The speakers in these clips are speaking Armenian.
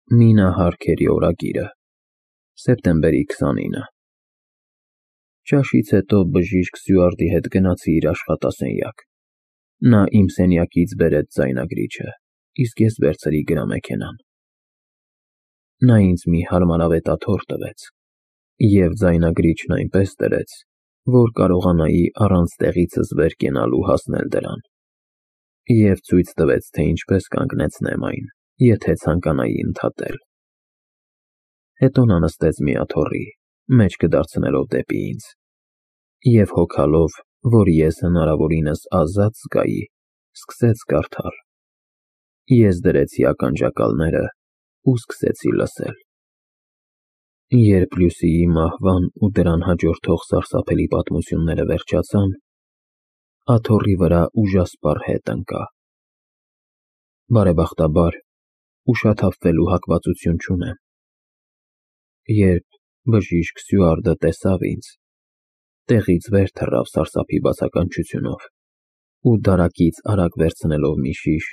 Մինա Հարքերի օրագիրը, սեպտեմբերի 29։ Ճաշից հետո բժիշկ Սյուարտի հետ գնացի իր աշխատասենյակ։ Նա իմ սենյակից բերեց ձայնագրիչը, իսկ ես վերցրի գրամեքենան։ Նա ինձ մի հարմարավետ աթոռ տվեց և ձայնագրիչն այնպես դրեց, որ կարողանայի առանց տեղիցս վեր կենալու հասնել դրան, և ցույց տվեց, թե ինչպես կանգնեցնեմ այն, եթե ցանկանայի ընդհատել։ Հետո նա նստեց մի աթոռի, մեջքը դարձնելով դեպի ինձ, և հոգալով, որ ես հնարավորինս ազատ զգայի, սկսեց կարդալ։ Ես դրեցի ականջակալները ու սկսեցի լսել։ Երբ Լյուսիի մահվան ու դրան հաջորդող սարսափելի պատմությունները վերջացան, աթոռի վրա ուժասպառ հետ ընկա։ Բարեբախտաբար, ուշաթափվելու հակվածություն չունեմ։ Երբ բժիշկ Սյուարտը տեսավ ինձ, տեղից վեր թռավ սարսափի բացականչությունով ու դարակից արագ վերցնելով մի շիշ,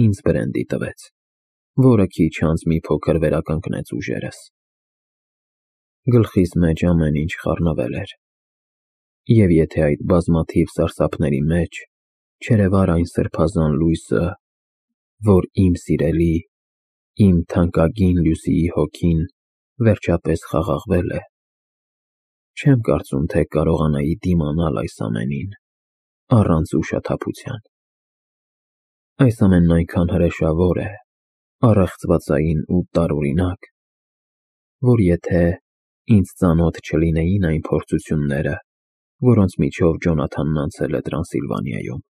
ինձ բրենդի տվեց, որը քիչ անց մի փոքր վերականգնեց ուժերս։ Գլխիս մեջ ամեն ինչ խառնվել էր, և եթե այդ բազմաթիվ սարսափների մեջ չերևար այն սրբազան լույսը, որ իմ սիրելի, իմ թանկագին Լյուսիի հոգին վերջապես խաղաղվել է, չեմ կարծում, թե կարողանայի դիմանալ այս ամենին առանց ուշաթափության։ Այս ամենն այնքան հրեշավոր է, առեղծվածային ու տարօրինակ, որ եթե ինձ ծանոթ չլինեին այն փորձությունները, որոնց միջով Ջոնաթանն անցել է Տրանսիլվանիայում,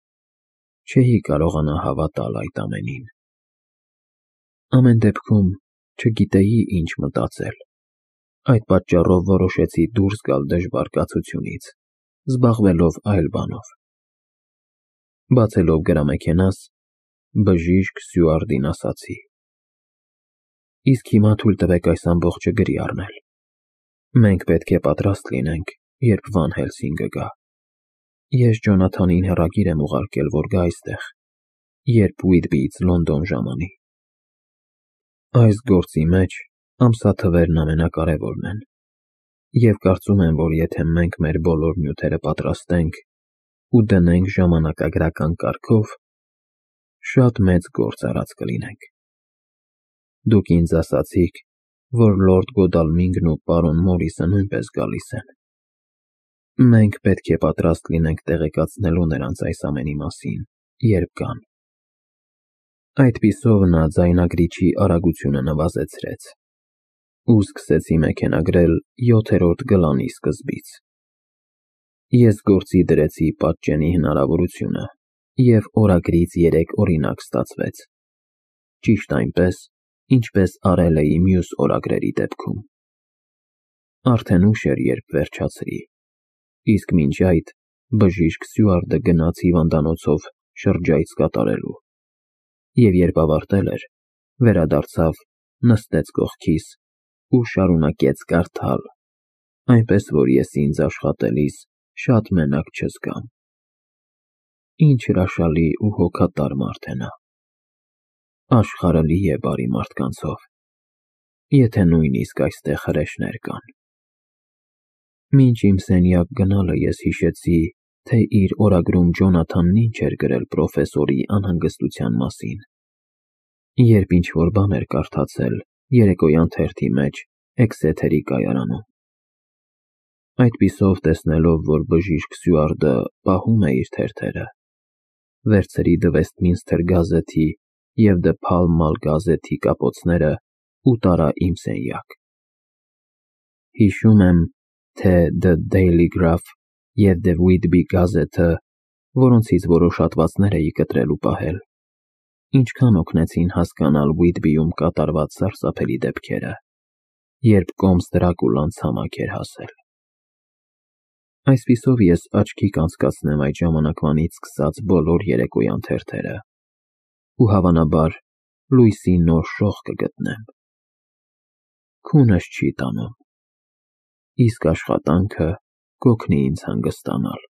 չէի կարողանա հավատալ այդ ամենին։ Ամեն դեպքում, չգիտեի ինչ մտածել։ Այդ պատճառով որոշեցի դուրս գալ դժվար կացությունից, զբաղվելով այլ բանով։ Բացելով գրամեքենաս, բժիշկ Սյուարտին ասացի. Իսկ հիմա թույլ տվեք այս ամբողջը գրի առնել։ Մենք պետք է պատրաստ լինենք, երբ Վան Հելսինգը գա։ Ես Ջոնաթանին հեռագիր եմ ուղարկել, որ գա այստեղ, երբ Ուիթբիից Լոնդոն ժամանի։ Այս գործի մեջ ամսաթվերն ամենակարևորն են, և կարծում եմ, որ եթե մենք մեր բոլոր նյութերը պատրաստենք ու դնենք ժամանակագրական կարգով, շատ մեծ գործ արած կլինենք։ Դուք ինձ ասացիք, որ լորդ Գոդալմինգն ու պարոն Մորիսը նույնպես գալիս են։ Մենք պետք է պատրաստ լինենք տեղեկացնելու նրանց այս ամենի մասին, երբ գան։ Այդպիսով նա ձայնագրիչի արագությունը նվազեցրեց, ու սկսեցի մեքենագրել 7-րդ գլանի սկզբից։ Ես գործի դրեցի պատճենի հնարավորությունը, և օրագրից 3 օրինակ ստացվեց, ճիշտ այնպես, ինչպես արել էի մյուս օրագրերի դեպքում։ Արդեն ուշ էր, երբ վերջացրի, իսկ մինչ այդ բժիշկ Սյուարտը գնաց հիվանդանոցով շրջայց կատարելու, և երբ ավարտել էր, վերադարձավ, նստեց կողքիս ու շարունակեց կարդալ, այնպես որ ես ինձ աշխատելիս շատ մենակ չզգամ։ Ինչ հրաշալի ու հոգատար մարդ է նա։ Աշխարհը լի է բարի մարդկանցով, եթե նույնիսկ այստեղ հրեշներ կան։ Մինչ իմ սենյակ գնալը ես հիշեցի, թե իր օրագրում Ջոնաթանն ինչ էր գրել պրոֆեսորի անհանգստության մասին, երբ ինչ-որ բան էր կարդացել երեկոյան թերթի մեջ Էքսեթերի կայարանում։ Այդպիսով տեսնելով, որ բժիշկ Սյուարտը պահում է իր թերթերը, վերցրի The Westminster Gazette-ի և The Pall Mall գազեթի կապոցները ու տարա իմ սենյակ։ Հիշում եմ, թե The Daily Graph և The Whitby Gazette-ը, որոնցից որոշ հատվածներ էի կտրել ու պահել, ինչքան օգնեցին հասկանալ Whitby-ում կատարված սարսափելի դեպքերը, երբ կոմս Դրակուլան ցամաք էր հասել։ Այսպիսով ես աչքի կանցկացնեմ այդ ժամանակվանից սկսած բոլոր երեկոյան թերթերը ու հավանաբար լույսի նոր շող կգտնեմ։ Քունս չի տանում, իսկ աշխատանքը կօգնի ինձ հանգստանալ։